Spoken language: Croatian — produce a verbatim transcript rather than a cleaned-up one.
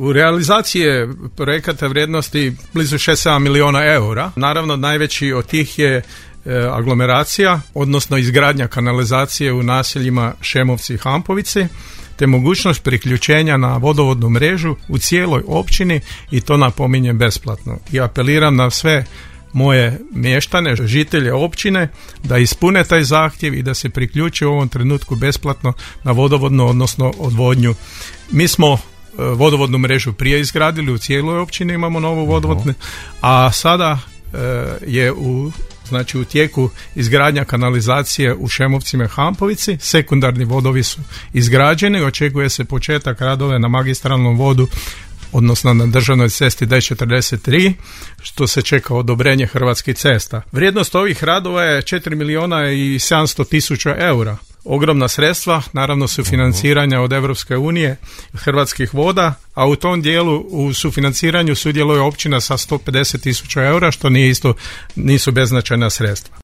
U realizaciji je projekata vrijednosti blizu šest sedam milijuna eura. Naravno, najveći od tih je aglomeracija, odnosno izgradnja kanalizacije u naseljima Šemovci i Hampovici, te mogućnost priključenja na vodovodnu mrežu u cijeloj općini i to napominjem besplatno. I apeliram na sve moje mještane, žitelje općine da ispune taj zahtjev i da se priključe u ovom trenutku besplatno na vodovodnu, odnosno odvodnju. Mi smo vodovodnu mrežu prije izgradili, u cijeloj općini imamo novu vodovodnu, a sada je u znači u tijeku izgradnja kanalizacije u Šemovcima i Hampovici. Sekundarni vodovi su izgrađeni, očekuje se početak radove na magistralnom vodu, odnosno na državnoj cesti D četrdeset tri, što se čeka odobrenje Hrvatskih cesta. Vrijednost ovih radova je četiri milijuna i sedamsto tisuća eura. Ogromna sredstva, naravno sufinanciranja od Europske unije, Hrvatskih voda, a u tom dijelu u sufinanciranju sudjeluje općina sa sto pedeset tisuća eura, što nije isto, nisu beznačajna sredstva.